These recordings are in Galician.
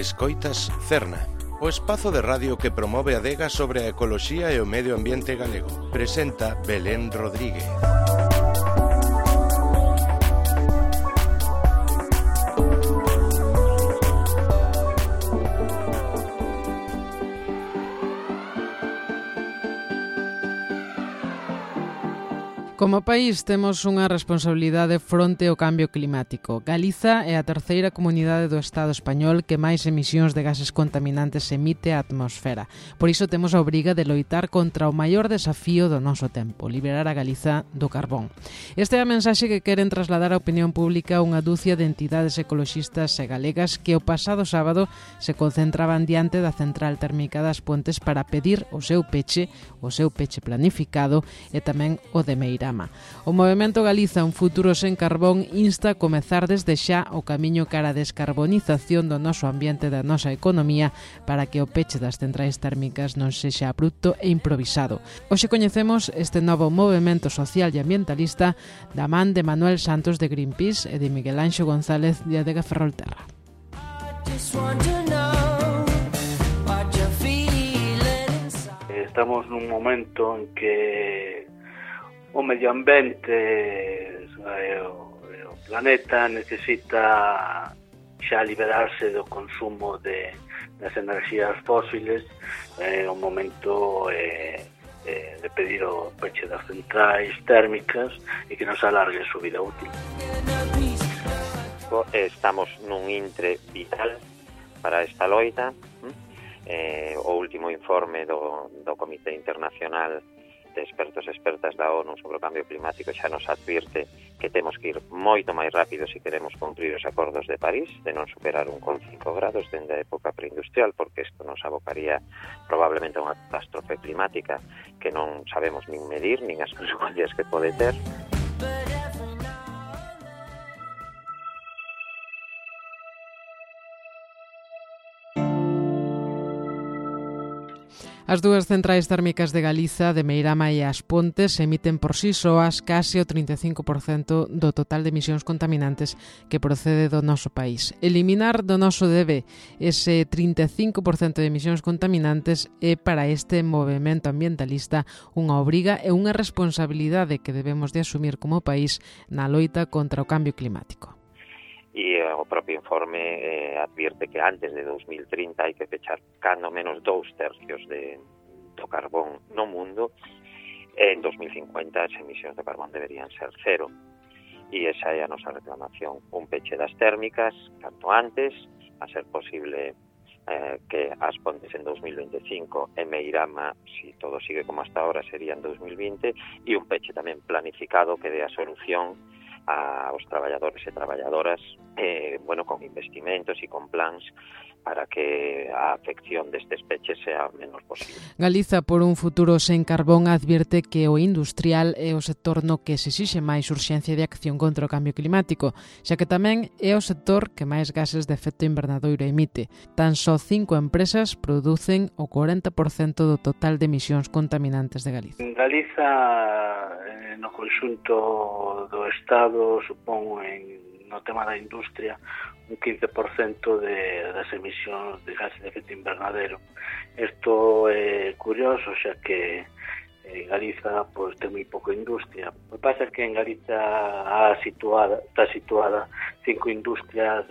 Escoitas Cerna, o espazo de radio que promove a adega sobre a ecoloxía e o medio ambiente galego. Presenta Belén Rodríguez. Como país temos unha responsabilidade fronte ao cambio climático. Galiza é a terceira comunidade do Estado español que máis emisións de gases contaminantes emite á atmosfera. Por iso temos a obriga de loitar contra o maior desafío do noso tempo, liberar a Galiza do carbón. Esta é a mensaxe que queren trasladar á opinión pública unha dúcia de entidades ecoloxistas e galegas que o pasado sábado se concentraban diante da central térmica das Pontes para pedir o seu peche planificado e tamén o de Meirama. O Movemento Galiza Un Futuro Sen Carbón insta a comezar desde xa o camiño cara a descarbonización do noso ambiente e da nosa economía para que o peche das centrais térmicas non sexa abrupto e improvisado. Hoxe coñecemos este novo movemento social e ambientalista da man de Manuel Santos de Greenpeace e de Miguel Anxo González de Adega Ferrolterra. Estamos nun momento en que o medio ambiente o planeta necesita xa liberarse do consumo das enerxías fósiles. É o momento de pedir o peche das centrais térmicas e que nos alargue a súa vida útil. Estamos nun intre vital para esta loita. O último informe do Comité Internacional de Expertos e Expertas da ONU sobre o cambio climático xa nos advirte que temos que ir moito máis rápido se queremos cumprir os acordos de París, de non superar 1,5 grados dende a época preindustrial, porque isto nos abocaría probablemente a unha catástrofe climática que non sabemos nin medir, nin as consecuencias que pode ter. As dúas centrais térmicas de Galiza, de Meirama e As Pontes, emiten por si soas case o 35% do total de emisións contaminantes que procede do noso país. Eliminar do noso debe ese 35% de emisións contaminantes é para este movemento ambientalista unha obriga e unha responsabilidade que debemos de asumir como país na loita contra o cambio climático. E o propio informe advierte que antes de 2030 hai que pechar cando menos 2/3 do carbón no mundo. En 2050 as emisións de carbón deberían ser cero. E esa é a nosa reclamación. Un peche das térmicas, canto antes, a ser posible que As Pontes en 2025 e Meirama, si todo sigue como hasta ahora, sería en 2020, e un peche tamén planificado que dé a solución aos traballadores e traballadoras, con investimentos e con plans para que a afección destes peches sea o menos posible. Galiza por un futuro sen carbón advierte que o industrial é o sector no que se exixe máis urxencia de acción contra o cambio climático, xa que tamén é o sector que máis gases de efecto invernadoiro emite. Tan só 5 empresas producen o 40% do total de emisións contaminantes de Galiza. En Galiza, no conxunto do Estado, supón no tema da industria un 15% das emisións de gases de efecto invernadero. Isto é curioso, xa que Galiza ten moi pouca industria. O que pasa é que en Galiza está situada 5 industrias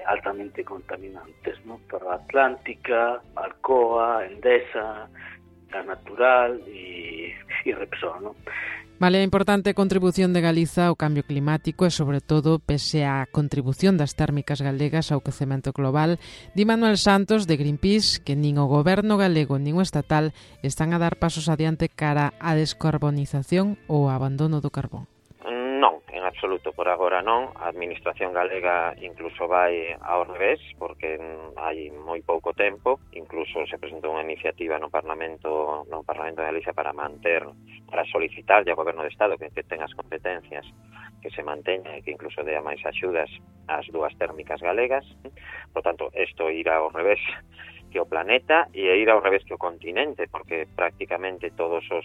altamente contaminantes, Ferroatlántica, Alcoa, Endesa, Gas Natural e Repsol, Vale a importante contribución de Galiza ao cambio climático e, sobre todo, pese á contribución das térmicas galegas ao quecemento global, di Manuel Santos, de Greenpeace, que nin o goberno galego nin o estatal están a dar pasos adiante cara á descarbonización ou ao abandono do carbón. Non, en absoluto, por agora non. A administración galega incluso vai ao revés, porque hai moi pouco tempo, incluso se presentou unha iniciativa no Parlamento de Galicia para solicitarlle ao Goberno de Estado que ten as competencias que se manteña e que incluso dea máis axudas ás dúas térmicas galegas. Por tanto, isto irá ao revés que o planeta e ir ao revés que o continente, porque prácticamente todos os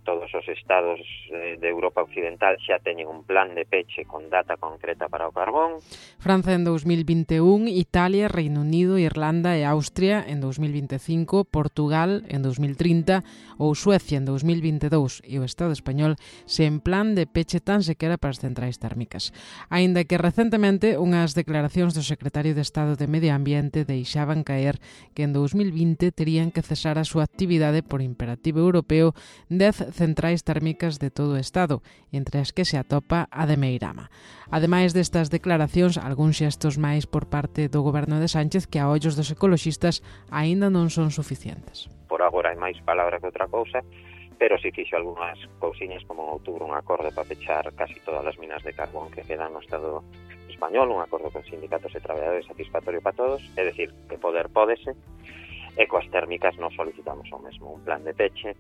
todos os estados de Europa Occidental xa teñen un plan de peche con data concreta para o carbón. França en 2021, Italia, Reino Unido, Irlanda e Austria en 2025, Portugal en 2030 ou Suecia en 2022 e o Estado español sen plan de peche tan sequera para as centrais térmicas. Aínda que recentemente unhas declaracións do secretario de Estado de Medio Ambiente deixaban caer que en 2020 terían que cesar a súa actividade por imperativo europeo 10 centrais térmicas de todo o Estado, entre as que se atopa a de Meirama. Ademais destas declaracións, algúns xestos máis por parte do goberno de Sánchez que a ollos dos ecoloxistas aínda non son suficientes. Por agora hai máis palabra que outra cousa, pero si fixo algunhas cousiñas como en outubro un acordo para pechar casi todas as minas de carbón que quedan no Estado español, un acordo con sindicatos e traballadores satisfactorio para todos, é dicir, que poder pódese, e coas térmicas nos solicitamos o mesmo, un plan de peche.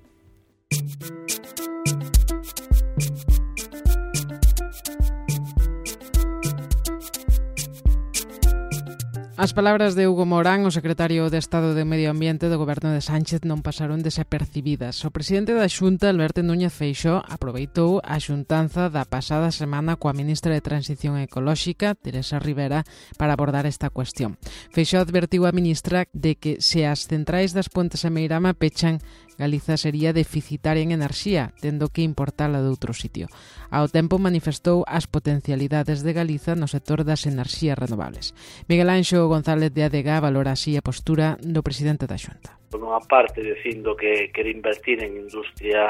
As palabras de Hugo Morán, o secretario de Estado de Medio Ambiente do goberno de Sánchez, non pasaron desapercibidas. O presidente da Xunta, Alberto Núñez Feixóo, aproveitou a xuntanza da pasada semana coa ministra de Transición Ecolóxica, Teresa Rivera, para abordar esta cuestión. Feixóo advertiu a ministra de que se as centrais das Pontes e Meirama pechan, Galiza sería deficitaria en enerxía, tendo que importala de outro sitio. Ao tempo manifestou as potencialidades de Galiza no sector das enerxías renovables. Miguel Anxo González de ADG valora así a postura do presidente da Xunta. Por unha parte, dicindo que quere invertir en industria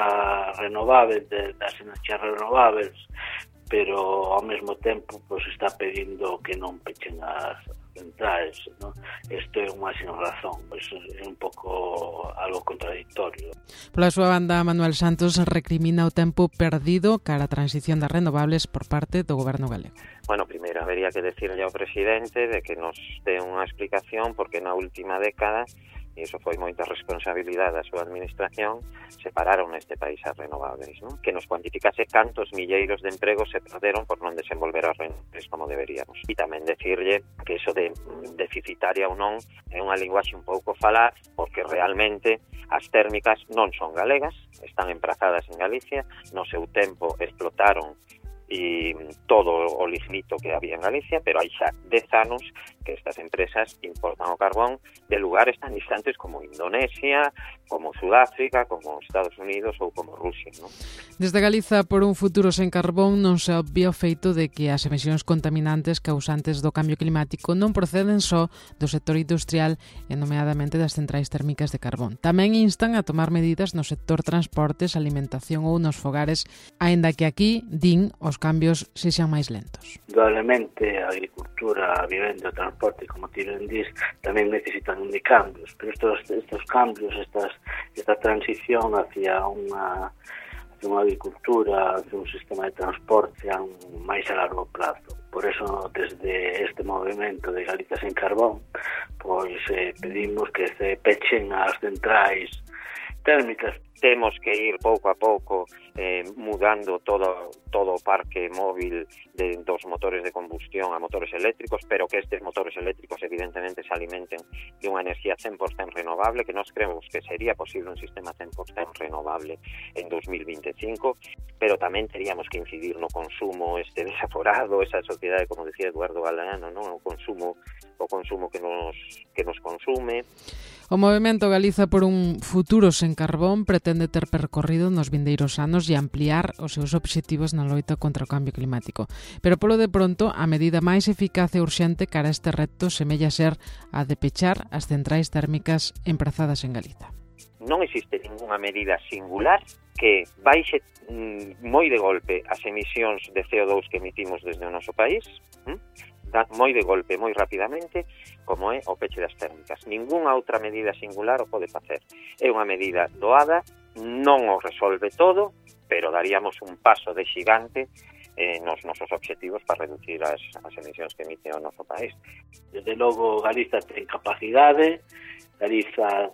renovável, das enerxías renováveis, pero ao mesmo tempo está pedindo que non pechen as centrais, ¿no? Isto é unha sin razón, é un pouco algo contradictorio. Pola súa banda, Manuel Santos recrimina o tempo perdido cara a transición das renovables por parte do goberno galego. Bueno, primeiro habería que decirle ao presidente de que nos dé unha explicación porque na última década, e iso foi moita responsabilidade da súa administración, separaron neste país as renovables, ¿no? Que nos cuantificase cantos milleiros de empregos se perderon por non desenvolver as renovables como deberíamos. E tamén decirlle que iso de deficitaria ou non é unha linguaxe un pouco falaz, porque realmente as térmicas non son galegas, están emprazadas en Galicia, no seu tempo explotaron e todo o lignito que había en Galicia, pero hai xa 10 anos que estas empresas importan o carbón de lugares tan distantes como Indonesia, como Sudáfrica, como Estados Unidos ou como Rusia, ¿no? Desde Galiza, por un futuro sen carbón, non se obvia o feito de que as emisións contaminantes causantes do cambio climático non proceden só do sector industrial e nomeadamente das centrais térmicas de carbón. Tamén instan a tomar medidas no sector transportes, alimentación ou nos fogares, aínda que aquí, din, os cambios sexan máis lentos. Indudablemente a agricultura, a vivenda, o transporte, como ti ben dis, tamén necesitan de cambios, pero estos cambios, esta transición hacia unha agricultura, hacia un sistema de transporte máis a largo plazo. Por eso, desde este movimento de Galiza sen carbón, pois pedimos que se pechen as centrais térmicas. Temos que ir pouco a pouco mudando todo o parque móvil dos motores de combustión a motores eléctricos, pero que estes motores eléctricos evidentemente se alimenten de unha enerxía 100% renovable, que nós creemos que sería posible un sistema 100% renovable en 2025, pero tamén teríamos que incidir no consumo desaforado, esa sociedade, como decía Eduardo Galeano, ¿no? o consumo que nos consume. O Movemento Galiza por un futuro sen carbón pretende ter percorrido nos vindeiros anos e ampliar os seus obxectivos na loita contra o cambio climático. Pero polo de pronto, a medida máis eficaz e urxente cara a este reto semella ser a de pechar as centrais térmicas emprazadas en Galiza. Non existe ninguna medida singular que baixe moi de golpe as emisións de CO2 que emitimos desde o noso país, moi de golpe, moi rapidamente, como é o peche das térmicas. Ningunha outra medida singular o pode facer. É unha medida doada, non o resolve todo, pero daríamos un paso de xigante nos nosos obxectivos para reducir as emisións que emite o noso país. Desde logo, Galiza ten capacidade, Galiza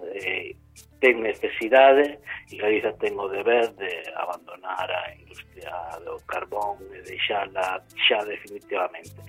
ten necesidade e Galiza ten o deber de abandonar a industria do carbón e deixala xa definitivamente.